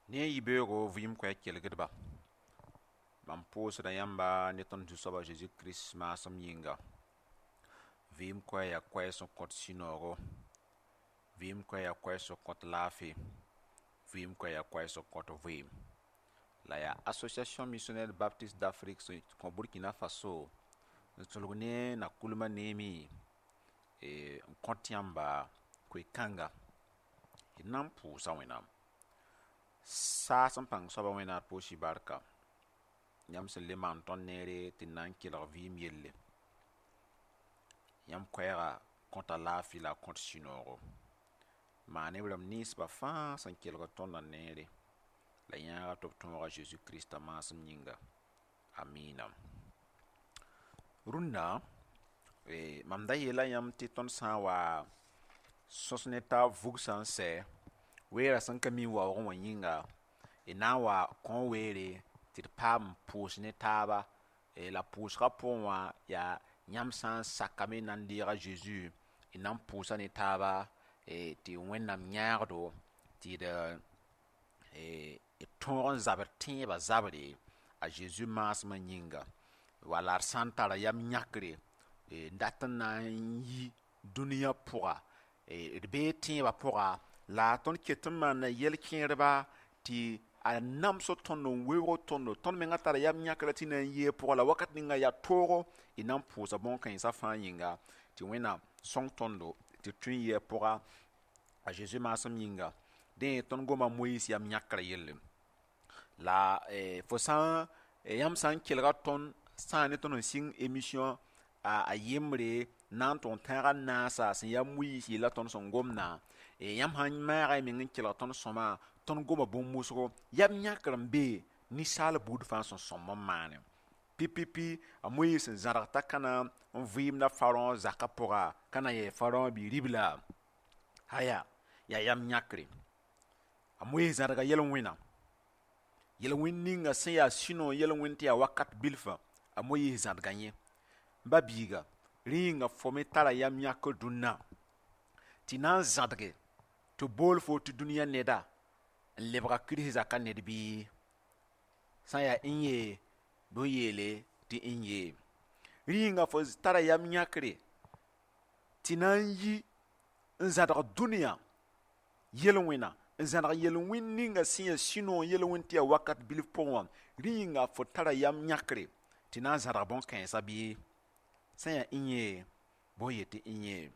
Ne yibeoogo vɩɩm koɛɛg kelgdba, mam pʋʋsda yãmba ne tõnd Zu-soaba Zeezi Kirist maasem yĩnga. Vɩɩm koɛɛg yaa koɛɛg sẽn kõt sũ-noogo, vɩɩm koɛɛg yaa koɛɛg sẽn kõt laafɩ, vɩɩm koɛɛg yaa koɛɛg sẽn kõt vɩɩm. La yaa Association Missionnaire Baptiste d'Afrique sẽn kõ Burkina Faso n sulg ne Nakulma neeme n kõt yãmba koe-kãnga. D na n pʋʋsa Wẽnnaam. Saas n pãng soaba Wẽnnaam d pʋʋs-y barka. Yãmb sẽn le maan tõnd neere tɩ d na n kelg vɩɩm yelle. Yãmb koɛɛga kõta laafɩ la a kõt sũ-noogo. Maan b rãmb ninsba fãa sẽn kelgd tõndã neere la yãaga tɩ b tõoga Zeezi Krista maasem yĩnga. Amiina. Rũndã mam da yeela yãmb tɩ tõnd sã n wa sõs ne taab vugsã n sɛ, weerã sẽn ka mi n waoogẽ wã yĩnga, d na n wa kõ weere tɩ d paam n pʋʋs ne taaba. La pʋʋsgã pʋgẽ wã yaa yãmb sã n sakame n na n deeg a Zeezi, d na n pʋʋsa ne taaba tɩ Wẽnnaam yãagdo tɩ d tõog n zabd tẽebã zabre a Zeezi maasmã yĩnga. Wala d sã n tara yam yãkre n dat n na n yi dũniyã pʋga, d bee tẽebã pʋga, la tõnd ket n maana yɛl-kẽerba tɩ a namsg tõnd n weoog tõndo. Tõnd mengã tara yam yãkrã tɩ na n yɩ a pʋga, la wakat ninga yaa toogo d na n pʋʋsa bõn-kãensã fãa yĩnga tɩ Wẽnnaam sõng tõndo tɩ d tõe n yɩ a pʋga a Zeezi maasem yĩnga. Dẽ tõnd goma Moyiis yam yãkrã yelle. La fo sã yãmb sã n kelga tõnd sã ne tõnd sẽn sɩng émission a yembre na n tʋg n tãag a naasa sẽn yaa Moyiis yella tõnd sẽn gomdã, yãmb sã n maaga y meng n kelg tõnd sõma, tõnd goma bũmb wʋsgo, yam yãkr n be ninsaal buud fãa sẽn sõmb n maane. Pipipi a Moyiis sẽn zãrg t'a ka na n vɩɩmda farõ zakã pʋga, ka na yɛɛ farõ bi-ribla. Aya, yaa yam yãkre. A Moyiis zãrga yel-wẽna. Yel-wẽnd ninga sẽn yaa sũ-noog yel-wẽnd tɩ yaa wakat bilfã, a Moyiis zãdga yẽ. Ba biiga, rẽ yĩnga fo me tara yam yãkr dũnna tɩ na n zãdge tɩ bool fo tɩ dũniyã neda n lebga Kirist zakã ned bɩ? Sã n yaa n yee, bɩ f yeele tɩ n yee. Rẽ yĩnga fo tara yam yãkre tɩ na n yi n zãdg dũniyã yel-wẽna, n zãdg yel-wẽnd ninga sẽn yaa sũ-noog yel-wẽnd tɩ yaa wakat bilf pʋgẽ wã. Rẽ yĩnga fo tara yam yãkre tɩ na n zãdg bõn-kãensã bɩ? Sã n yaa n yee, bɩ f yet tɩ n yee.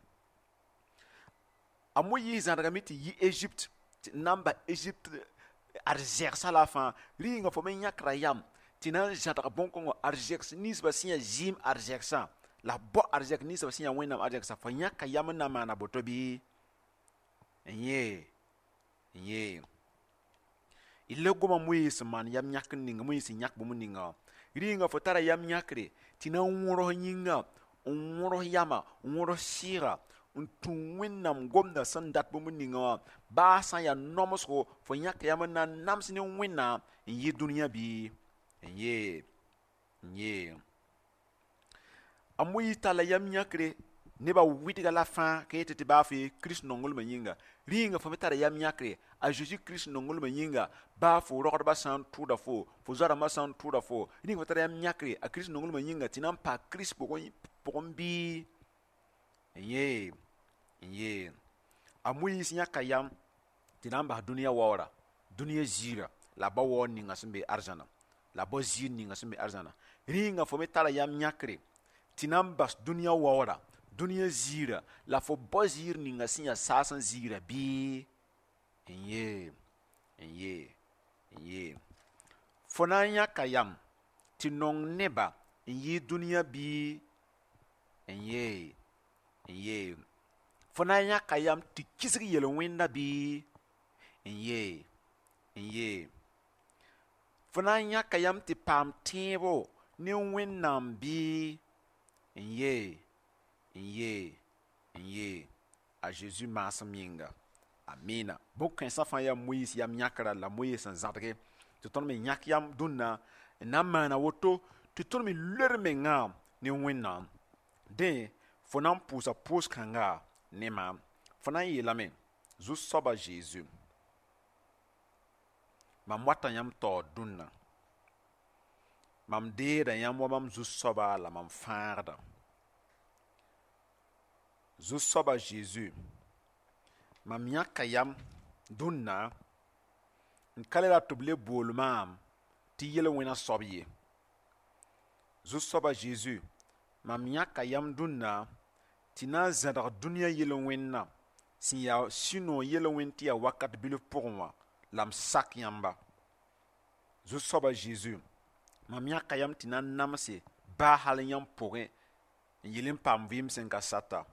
A Moyiis zãdgame tɩ yi Egypte tɩ n na n bas Egypte arzɛgsã la fãa. Rẽ yĩnga fo me yãkra yam tɩ na n zãdg bõn-kãngã arzɛgs ninsbã sẽn yaa zɩɩm arzɛgsã, la b bao arzɛk ninsbã sẽn yaa Wẽnnaam arzɛgsã. Fo yãka yam n na n maana boto bɩ? N yee, n yee. D le goma Moyiis sẽn maan yam yãkr ninga, Moyiis sẽn yãk bũmb ninga wã. Rẽ yĩnga fo tara yam yãkre tɩ na n wõrs yĩnga, n wõrs yama, n wõrs sɩɩga, n tũ Wẽnnaam gomdã sẽn dat bũmb ninga wã. Baa sã n yaa nomsgo, fo yãka yam n na n nams ne Wẽnnaam n yɩ dũniyã bɩ? N yee, n yee. A Moyiis talla yam yãkre nebã wɩdga la fãa ka yetɩ tɩ baa fo Kirist nonglmã yĩnga. Rẽ yĩnga fo me tara yam yãkre a Zeezi Kirist nonglmã yĩnga, baa fo rogdbã sã n tʋʋda fo, fo zoa-rãmbã sã n tʋʋda fo, rẽ yĩnga fo tara yam yãkre a Kirist nonglmã yĩnga tɩ na n paa Kirist pʋgẽ bɩ? N yee, n yee. A Moyiis yãka yam tɩ na n bas dũniyã waoora, dũniyã ziirã, la a bao waoor ninga sẽn be arzãna, la a bao ziir ninga sẽn be arzãna. Rẽ yĩnga fo me tara yam yãkre tɩ na n bas dũniyã waoora, dũniyã ziirã, la fo bao ziir ninga sẽn yaa saas n ziirã bɩ? N yee, n yee, n yee. Fo na n yãka yam tɩ nong neba n yɩ dũniyã bɩ? N yee, n yee. Fo na n yãka yam tɩ kisg yel-wẽnda bɩ? N yee, n yee. Fo na n yãka yam tɩ paam tẽebo ne Wẽnnaam bɩ? N yee, n yee, n yee. A Zeezi maasem yĩnga. Amina. Bõn-kãensã fãa yaa Moyiis yam yãkra la Moyiis sẽn zãdge tɩ tõnd me yãk yam dũnna n na n maana woto tɩ tõnd me loe d mengã ne Wẽnnaam. Dẽ fo na n pʋʋsa pʋʋs-kãnga ne maam. Fo na n yeelame: Zu-soaba Zeezi, Mam wata yãmb taoor dũnna. Mam deeda yãmb wa mam zu-soaba la mam fãagda. Zu-soaba Zeezi, mam yãka yam dũnna n ka le rat tɩ b le bool maam tɩ yel-wẽna soab ye. Zu-soaba Zeezi, mam yãka yam dũnna tɩ na n zãdg dũniyã yel-wẽnna sẽn yaa sũ-noog yel-wẽnd tɩ yaa wakat bilf pʋgẽ wã la m sak yãmba. Zu-soaba Zeezi, mam yãka yam tɩ na n namse baa hal yãmb pʋgẽ n yel n paam vɩɩm sẽn ka sata.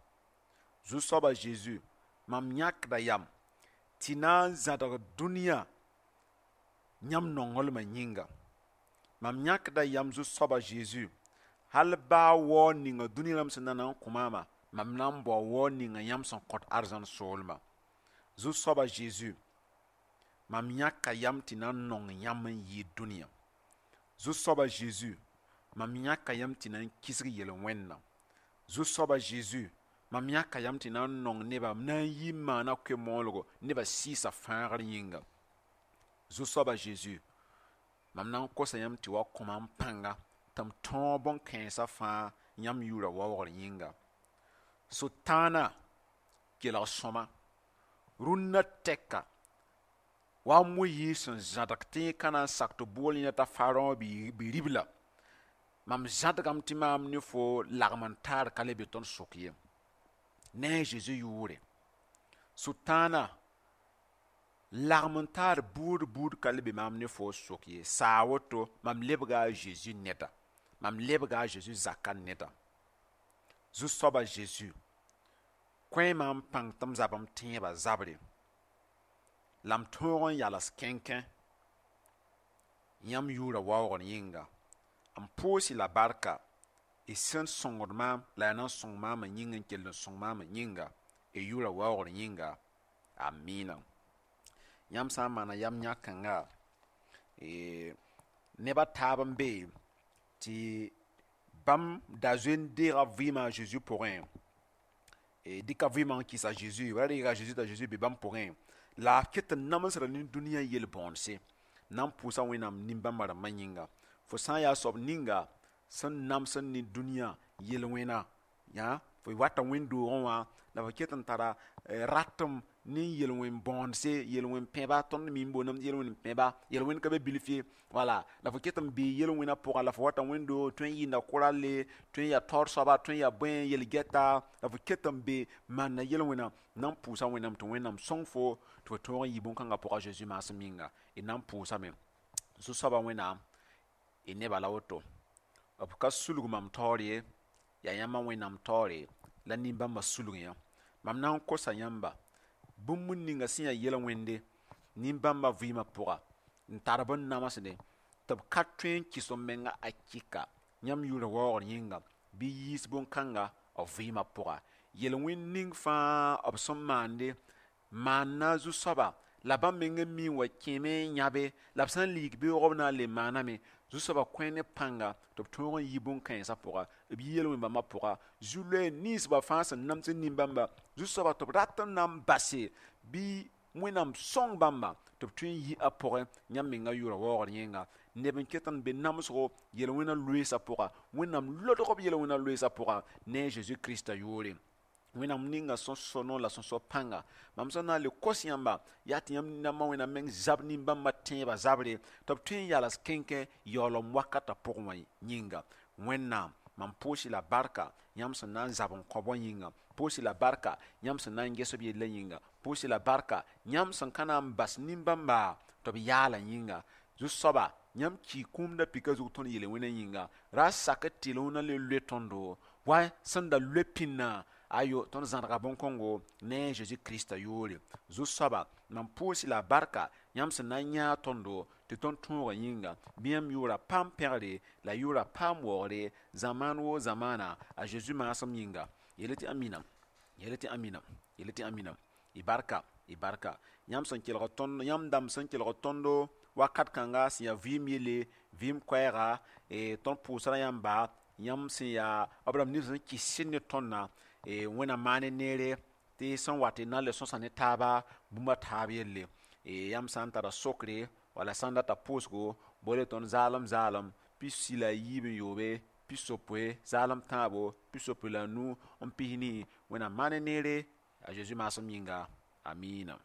Zu-soaba Zeezi, mam yãkda yam tɩ na n zãdg dũniyã yãmb nonglmã yĩnga. Mam yãkda yam Zu-soaba Zeezi, hal baa waoog ninga dũniyã rãmb sẽn na n kõ maama, mam na n bao waoog ninga yãmb sẽn kõt arzãn soolmã. Zu-soaba Zeezi, mam yãka yam tɩ na n nong yãmb n yɩɩd dũniyã. Zu-soaba Zeezi, mam yãka yam tɩ na n kisg yel-wẽnna. Zu-soaba Zeezi, mam yãka yam tɩ na n nong neba, m na n yi n maana koe-moolgo nebã sɩɩsã fãagr yĩnga. Zu-soaba Zeezi, mam na n kosa yãmb tɩ wa kõ maam pãnga tɩ m tõog bõn-kãensã fãa yãmb yʋʋra waoogr yĩnga. Sʋtãana kelg sõma, rũnnã tɛka wa a Moyiis sẽn zãdg tɩ yẽ ka na n sak tɩ bool yẽna t'a Farõ bi-ribla. Mam zãdgame tɩ maam ne fo lagm n taar ka le be tõnd sʋk ye. Ne a Zeezi yʋʋre. Sʋtãana lagm n taar buud buud ka le be maam ne fo sʋk ye. Saa woto mam lebga a Zeezi neda. Mam lebga a Zeezi zakã neda. Zu-soaba Zeezi, kõ-y maam pãng tɩ m zab m tẽebã zabre la m tõog n yals kẽnkẽ yãmb yʋʋra waoogr yĩnga. M pʋʋs-y la barka y sẽn sõngd maam la yaa na n sõng maam n yĩng n kell n sõng maam n yĩnga y yʋʋra waoogr yĩnga. Amina. Yãmb sã n maana yam yãk-kãnga, neb a taab n be tɩ bãmb da zoe n deega vɩɩmã a Zeezi pʋgẽ, dɩka vɩɩmã n kɩs a Zeezi, ra reega a Zeezi t'a Zeezi be bãmb pʋgẽ, la b ket n namsda ne dũniyã yel-bõonse, na n pʋʋsa Wẽnnaam nin-bãmba rãmbã yĩnga. Fo sã n yaa soab ninga sẽn namsd ne dũniyã yel-wẽna, fo wata wẽnd-doogẽ wã la fo ket n tara ratem ne yel-wẽn bõonse, yel-wẽn pẽba, tõnd mi n boondame tɩ yel-wẽn pẽba, yel-wẽnd ka be bilf ye, wala la fo ket n bee yel-wẽna pʋga la fo wata wẽnd-doog tõe n yɩɩnda kʋralle, tõe n yaa taoor soaba, tõe n yaa bõe yel-gɛta, la fo ket n be maanda yel-wẽna, na n pʋʋsa Wẽnnaam tɩ Wẽnnaam sõng fo tɩ fo tõog n yɩ bõn-kãngã pʋga Zeezi maasem yĩnga. Y na n pʋʋsame. Zu-soabã Wẽnnaam, y nebã la woto. B ka sulg mam taoor ye, yaa yãmba Wẽnnaam taoore la nin-bãmbã sulg yã. Mam na n kosa yãmba bũmb ninga sẽn yaa yel-wẽnde nin-bãmbã vɩɩmã pʋga n tar b n namsdẽ tɩ b ka tõe n kɩs b menga akɩka yãmb yʋʋra waoogr yĩnga bɩ yiis bõn-kãnga b vɩɩmã pʋga. Yel-wẽnd ning fãa b sẽn maande maanna zu-soaba la bãmb meng n mi n wa kẽeme n yãbe la b sã n liig beoog b na n le maaname. Zu-soabã kõ ne pãnga tɩ b tõog n yi bõn-kãensã pʋga, b yi yel-wẽn bãmbã pʋga. Zu-loɛɛ nins ba fãa sẽn namsd nin-bãmba, zu-soabã tɩ b rat n na n base bɩ Wẽnnaam sõng bãmba tɩ b tõe n yi a pʋgẽ yãmb menga yʋʋra waoogr yĩnga. Neb n ket n be namsgo yel-wẽna loeesã pʋga, Wẽnnaam lodg b yel-wẽna loeesã pʋga ne a Zeezi Kirista yʋʋre. Wẽnnaam ninga sẽn so noor la sẽn so pãnga. Mam sẽn na n le kos yãmba yaa tɩ yãmb namba Wẽnnaam meng zab nin-bãmbã tẽebã zabre tɩ b tõe n yals kẽnkẽ yaoolem wakatã pʋgẽ wã yĩnga. Wẽnnaam, mam pʋʋs-y la barka yãmb sẽn na n zab n kõ bõe yĩnga, pʋʋs-y la barka yãmb sẽn na n ges b yellã yĩnga, pʋʋs-y la barka yãmb sẽn ka na n bas nin-bãmba tɩ b yaala yĩnga. Zu-soaba, yãmb kii kũumda pika zug tõnd yel-wẽna yĩnga, ra sak tɩ yel-wẽna le loe tõndo wa sẽn da loe pĩnnã ayo tõnd zãdga bõn-kõngo ne a Zeezi Kirista yʋʋre. Zu-soaba, mam pʋʋs-y la barka yãmb sẽn na n yãag tõndo tɩ tõnd tõogã yĩnga, bɩ yãmb yʋʋra paam pẽgre la yʋʋra paam waoogre zamaan woo zamaana a Zeezi maasem yĩnga. Yeel tɩ amina, yeel tɩ amina, yeel tɩ amina. Y barka, y barka. Yãmb sẽn kelg tõnd, yãmb dãmb sẽn kelg tõndo wakat kãnga sẽn yaa vɩɩm yelle, vɩɩm koɛɛga, tõnd pʋʋsra yãmba, yãmb sẽn yaa b rãmb nins sẽn kɩs ne tõndã, Wẽnnaam maan ne neere tɩ sẽn wat y na n le sõsa ne taaba bũmb a taab yelle. Yãmb sã n tara sokre wala Wala sã n data pʋʋsgo, bore tõnd zaalem zaalem 63, 63 75. Wẽnnaam maan neere a Zeezi maasem yĩnga. Amiina.